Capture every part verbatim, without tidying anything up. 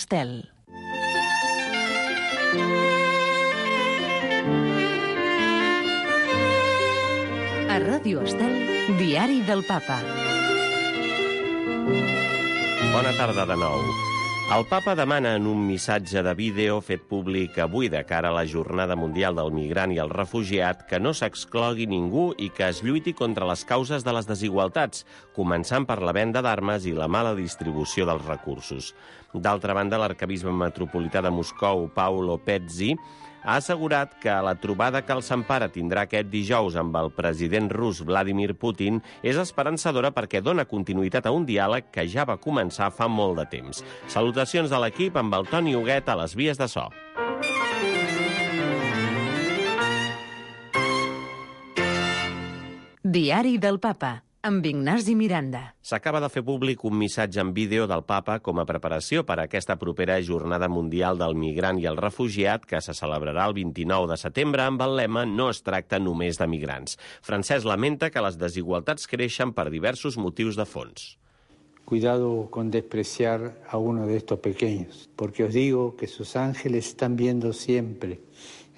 Estel. A Ràdio Estel, Diari del Papa. Bona tarda de nou. El papa demana en un missatge de vídeo fet públic avui de cara a la Jornada Mundial del Migrant i el Refugiat que no s'exclogui ningú i que es lluiti contra les causes de les desigualtats, començant per la venda d'armes i la mala distribució dels recursos. D'altra banda, l'arquebisbe metropolità de Moscou, Paolo Pezzi, ha assegurat que la trobada que el Sant Pare tindrà aquest dijous amb el president rus Vladimir Putin és esperançadora perquè dona continuïtat a un diàleg que ja va començar fa molt de temps. Salutacions de l'equip amb el Toni Huguet a les vies de so. Diari del Papa, amb Ignasi Miranda. S'acaba de fer públic un missatge en vídeo del papa com a preparació per a aquesta propera Jornada Mundial del Migrant i el Refugiat que se celebrarà el vint-i-nou de setembre amb el lema «No es tracta només de migrants». Francesc lamenta que les desigualtats creixen per diversos motius de fons. Cuidado con despreciar a uno de estos pequeños, porque os digo que sus ángeles están viendo siempre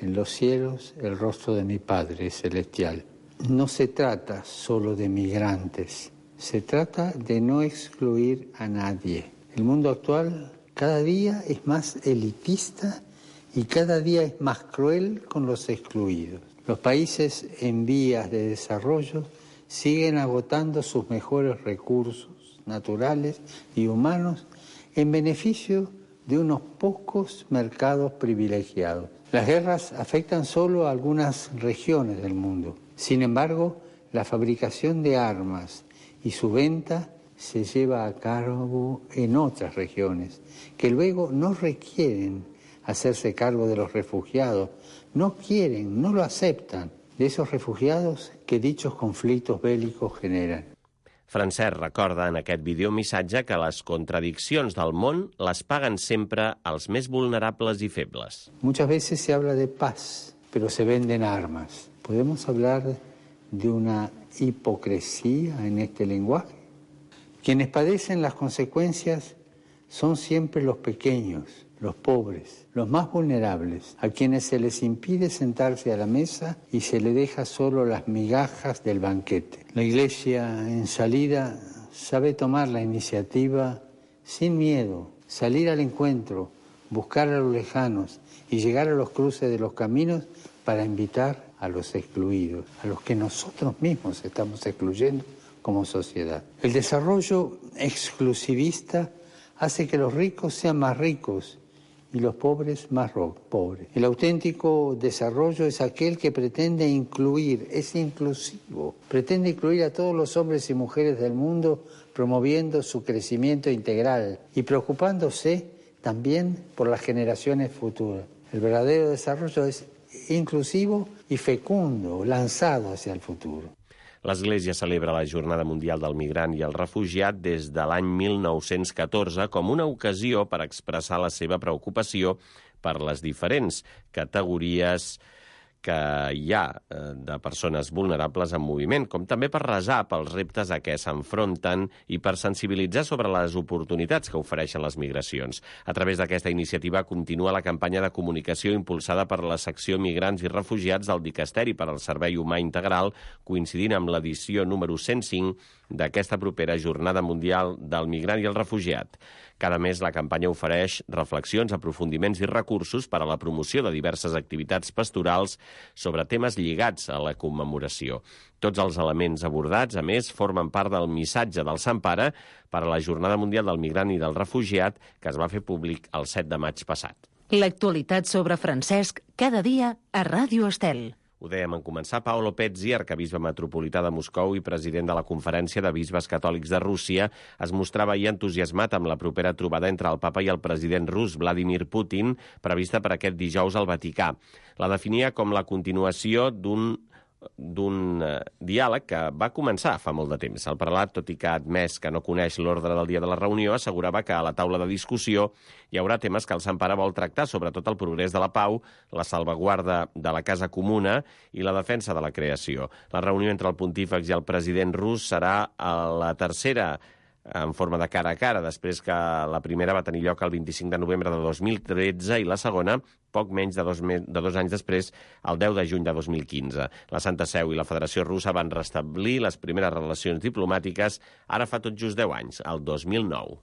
en los cielos el rostro de mi Padre celestial. No se trata solo de migrantes, se trata de no excluir a nadie. El mundo actual cada día es más elitista y cada día es más cruel con los excluidos. Los países en vías de desarrollo siguen agotando sus mejores recursos naturales y humanos en beneficio de unos pocos mercados privilegiados. Las guerras afectan solo a algunas regiones del mundo. Sin embargo, la fabricación de armas y su venta se lleva a cabo en otras regiones, que luego no requieren hacerse cargo de los refugiados, no quieren, no lo aceptan, de esos refugiados que dichos conflictos bélicos generan. Francesc recorda en aquest videomissatge que les contradiccions del món les paguen sempre els més vulnerables i febles. Muchas veces se habla de paz, pero se venden armas. ¿Podemos hablar de una hipocresía en este lenguaje? Quienes padecen las consecuencias son siempre los pequeños, los pobres, los más vulnerables, a quienes se les impide sentarse a la mesa y se les deja solo las migajas del banquete. La Iglesia, en salida, sabe tomar la iniciativa sin miedo, salir al encuentro, buscar a los lejanos y llegar a los cruces de los caminos para invitar a los excluidos, a los que nosotros mismos estamos excluyendo como sociedad. El desarrollo exclusivista hace que los ricos sean más ricos y los pobres más pobres. El auténtico desarrollo es aquel que pretende incluir, es inclusivo, pretende incluir a todos los hombres y mujeres del mundo promoviendo su crecimiento integral y preocupándose también por las generaciones futuras. El verdadero desarrollo es inclusivo i fecundo, lanzado hacia el futuro. L'Església celebra la Jornada Mundial del Migrant i el Refugiat des de l'any mil nou-cents catorze com una ocasió per expressar la seva preocupació per les diferents categories que hi ha de persones vulnerables en moviment, com també per resar pels reptes a què s'enfronten i per sensibilitzar sobre les oportunitats que ofereixen les migracions. A través d'aquesta iniciativa continua la campanya de comunicació impulsada per la secció Migrants i Refugiats del Dicasteri per al Servei Humà Integral, coincidint amb l'edició número cent cinc d'aquesta propera Jornada Mundial del Migrant i el Refugiat. Cada mes la campanya ofereix reflexions, aprofundiments i recursos per a la promoció de diverses activitats pastorals sobre temes lligats a la commemoració. Tots els elements abordats, a més, formen part del missatge del Sant Pare per a la Jornada Mundial del Migrant i del Refugiat que es va fer públic el set de maig passat. L'actualitat sobre Francesc cada dia a Ràdio Estel. Ho dèiem en començar, Paolo Pezzi, arquebisbe metropolità de Moscou i president de la Conferència de Bisbes Catòlics de Rússia, es mostrava ahir entusiasmat amb la propera trobada entre el papa i el president rus Vladimir Putin, prevista per aquest dijous al Vaticà. La definia com la continuació d'un d'un eh, diàleg que va començar fa molt de temps. El prelat, tot i que ha admès que no coneix l'ordre del dia de la reunió, assegurava que a la taula de discussió hi haurà temes que el Sant Pare vol tractar, sobretot el progrés de la pau, la salvaguarda de la casa comuna i la defensa de la creació. La reunió entre el pontífex i el president rus serà a la tercera en forma de cara a cara, després que la primera va tenir lloc el vint-i-cinc de novembre de dos mil tretze i la segona poc menys de dos, de dos anys després, el deu de juny de dos mil quinze. La Santa Seu i la Federació Russa van restablir les primeres relacions diplomàtiques ara fa tot just deu anys, el dos mil nou.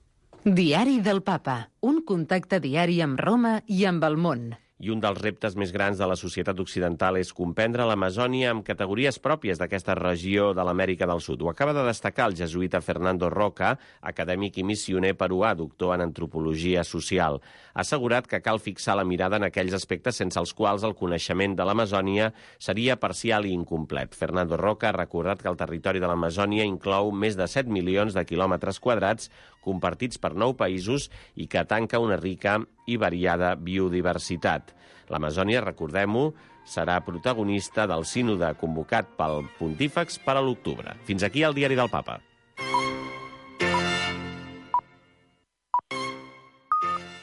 Diari del Papa, un contacte diari amb Roma i amb el món. I un dels reptes més grans de la societat occidental és comprendre l'Amazònia amb categories pròpies d'aquesta regió de l'Amèrica del Sud. Ho acaba de destacar el jesuïta Fernando Roca, acadèmic i missioner peruà, doctor en antropologia social. Ha assegurat que cal fixar la mirada en aquells aspectes sense els quals el coneixement de l'Amazònia seria parcial i incomplet. Fernando Roca ha recordat que el territori de l'Amazònia inclou més de set milions de quilòmetres quadrats compartits per nou països i que tanca una rica i variada biodiversitat. L'Amazònia, recordem-ho, serà protagonista del sínode convocat pel Pontífex per a l'octubre. Fins aquí el Diari del Papa.